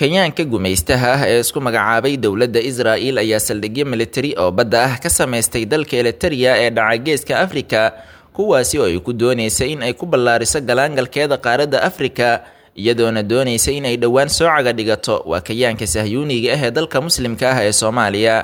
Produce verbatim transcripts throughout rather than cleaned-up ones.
Kenyaanka gumaystaha ah ee isku magacaabay dowladda Israa'iil ayaa saldhigyo militari oo badda ah ka samaystay dalka Eritrea ee dhaca geeska Afrika, kuwaasi oo ay ku doonaysa in ay ku ballaariso galaangalkeeda qaaradda Afrika, iyadoona doonaysa in ay dhowaan soo caga dhigato waa kayaanka sahyuuniga ah ee dalka muslimka ah ee Soomaaliya.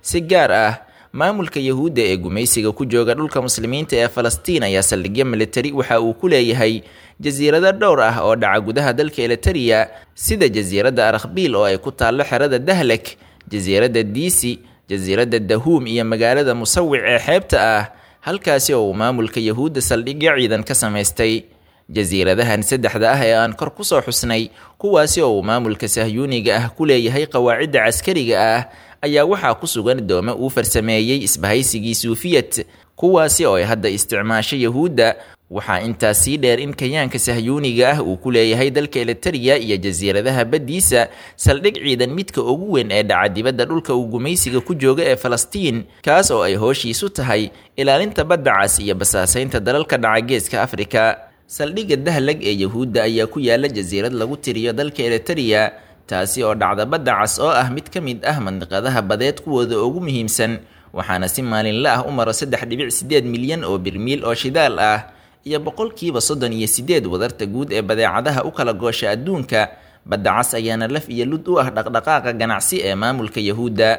Si gaar ah, maamulka Yahuudda ee gumaysiga ku jooga dhulka muslimiinta ee Falastiin ayaa saldhigyo militari waxa uu ku leeyahay jasiirado dhowr ah oo dhaca gudaha dalka Eritrea, sida jasiiradda Arakhbiil oo ay ku taallo xerada Dahlak, jasiiradda Diisi, jasiiradda Dahuum iyo magaalada Musawic ee xeebta ah, halkaasi oo uu maamulka Yahuudda saldhigyo ciidan ka samaystay. Jasiiradahan saddexda ah ee aan kor kusoo xusnay, kuwaasi oo uu maamulka sahyuuniga ah ku leeyahay qawaacidda caskariga ah, ayaa waxaa ku sugan doome uu farsameeyey isbahaysigii Suufiyad, kuwaasi oo ay hadda isticmaasho Yahuudda. Waxaa intaas sii dheer in kayaanka sahyuuniga ah uu ku leeyahay dalka Eritrea iyo jasiiradaha baddiisa saldhig ciidan midka ugu weyn ee dhaca dibadda dhulka uu gumaysiga ku jooga ee Falastiin, kaas oo ay hooshiisu tahay ilaalinta badda cas iyo basaasaynta dalalka dhaca geeska Afrika. Saldhigga Dahlag ee Yahuudda ayaa ku yaala jasiirad lagu tiriyo dalka Eritrea, taasi oo dhacda badda cas oo ah mid ka mid ah mandiqadaha badeed kuwooda ugu muhiimsan, waxaana si maalinle ah u maro saddex dhibic sideed milyan oo birmiil oo shidaal ah iyo boqolkiiba soddon iyo sideed wadarta guud ee badeecadaha u kala goosha adduunka. Badda cas ayaana laf iyo lud u ah dhaqdhaqaaqa ganacsi ee maamulka Yahuudda.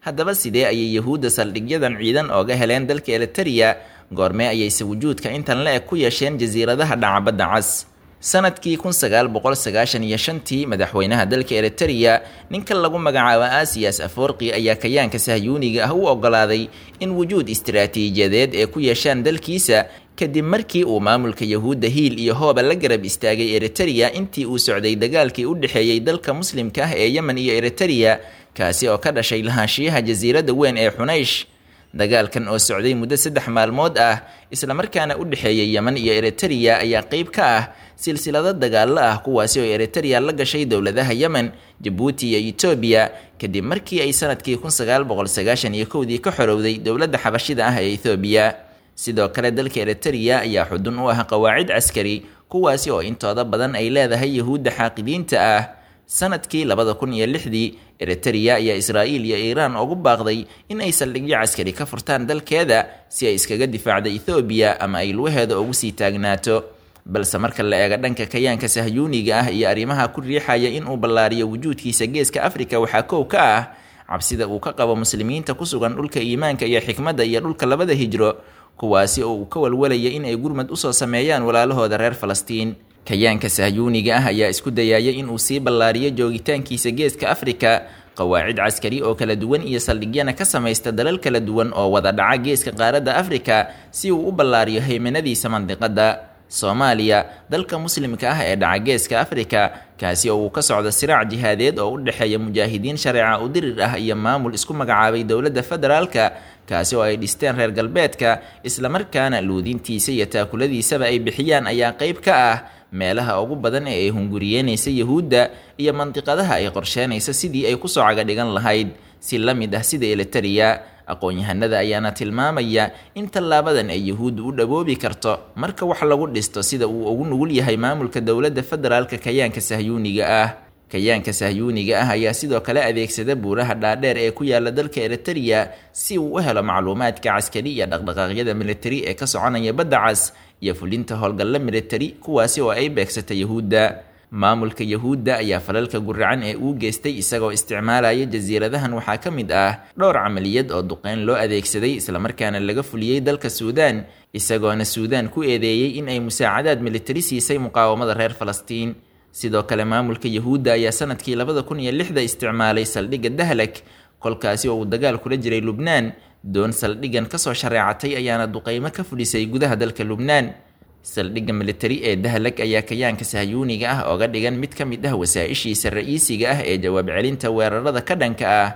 Haddaba sidee ayay Yahuudda saldhigyadan ciidan ooga heleen dalka Eritrea? Goormee ayayse wujuudka intan la eg ku yeesheen jasiiradaha dhaca badda cas? Sanadkii kun sagaal boqol sagaashan iyo shantii, madaxweynaha dalka Eritrea ninka lagu magacaabo Asiyas Aforqi ayaa kayaanka sahyuuniga ah u ogolaaday in wujuud istiraatiijiyadeed ee ku yeeshaan dalkiisa, kadib markii uu maamulka Yahuudda hiil iyo hooba la garab istaagay Eritrea intii uu socday dagaalkii u dhexeeyey dalka muslimka ah ee Yemen iyo Eritrea, kaasi oo ka dhashay lahaanshiyaha jasiiradda weyn ee Xunaysh. Dagaalkan oo socday muddo saddex maalmood ah islamarkaana u dhexeeyay Yemen iyo Eritrea ayaa qayb ka ah silsilado dagaallo ah, kuwaasi oo Eritrea la gashay dowladaha Yemen, Jabuuti iyo Etoobiya, kadib markii ay sanadkii kun sagaal boqol sagaashan iyo kowdii ka xorowday dowladda xabashida ah ee Etoobiya. Sidoo kale dalka Eritrea ayaa xudun u ah qawaacid caskari, kuwaasi oo intooda badan ay leedahay Yahuudda xaaqidiinta ah. Sanadkii labada kun iyo lixdii, Eritrea ayaa Israa'iil iyo Iiraan ugu baaqday in ay saldhigyo caskari ka furtaan dalkeeda si ay iskaga difaacda Ethoobiya ama ay lugaheeda ugu sii taagnaato. Balse marka la eego dhanka kayaanka sahyuuniga ah iyo arrimaha ku riixaya in uu ballaariyo wujuudkiisa geeska Afrika, waxaa kow ka ah cabsida uu ka qabo muslimiinta ku sugan dhulka iimaanka iyo xikmadda iyo dhulka labada hijro, kuwaasi oo uu ka walwalaya in ay gurmad usoo sameeyaan walaalahooda reer Falastiin. Kayaanka sahyuuniga ah ayaa isku dayaya in uu sii ballaariyo joogitaankiisa geeska Afrika, qawaacid caskari oo kala duwan iyo saldhigyana ka samaysta dalal kala duwan oo wada dhaca geeska qaaradda Afrika, si uu u ballaariyo haymanadiisa mandiqadda. Soomaaliya, dalka muslimka ah ee dhaca geeska Afrika, kaasi oo uu ka socdo siraac jihaadeed oo u dhexeeya mujaahidiin shareeca u dirir ah iyo maamul isku magacaabay dowladda federaalka, kaasi oo ay dhisteen reer galbeedka, islamarkaana luudintiisa iyo taakuladiisaba ay bixiyaan, ayaa qayb ka ah meelaha ugu badan ee ay hunguriyeynaysa Yahuudda iyo mandiqadaha ay qorsheenaysa sidii ay kusoo caga dhigan lahayd, si la mid ah sida Eritrea. Aqoon-yahanada ayaana tilmaamaya in tallaabadan ay Yahuuddu u dhaboobi karto marka wax lagu dhisto sida uu ugu nugul yahay maamulka dowladda federaalka kayaanka sahyuuniga ah. Kayaanka sahyuuniga ah ayaa sidoo kale adeegsada buuraha dhaadheer ee ku yaala dalka Eritrea si uu u helo macluumaadka caskari iyo dhaqdhaqaaqyada militari ee ka soconaya badda cas iyo fulinta howlgalla militari, kuwaasi oo ay beegsata Yahuudda. Maamulka Yahuudda ayaa falalka guracan ee uu geystay isagoo isticmaalaya jasiiradahan waxaa ka mid ah dhowr camaliyad oo duqeyn loo adeegsaday islamarkaana laga fuliyey dalka Suudaan, isagoona Suudaan ku eedeeyey in ay musaacadaad militari siisay muqaawamada reer Falastiin. Sidoo kale maamulka Yahuudda ayaa sanadkii labada kun iyo lixda isticmaalay saldhigga Dahlak, kolkaasi oo uu dagaal kula jiray Lubnaan. Doon saldhiggan kasoo shareecatay ayaana duqeymo ka fulisay gudaha dalka Lubnaan. Saldhigga militari ee Dahlak ayaa kayaanka sahyuuniga ah ooga dhigan mid ka mid ah wasaa-ishiisa ra'iisiga ah ee jawaab celinta weerarada ka dhanka ah.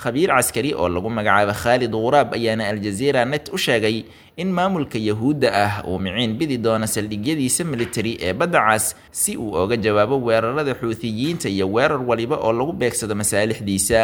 Khabiir caskari oo lagu magacaabo Khaalid Ghuraab ayaana Aljazeera net u sheegay in maamulka Yahuudda ah uu miciin bidi doono saldhigyadiisa militari ee badda cas si uu oga jawaabo weerarada Xuuthiyiinta iyo weerar waliba oo lagu beegsado masaalixdiisa.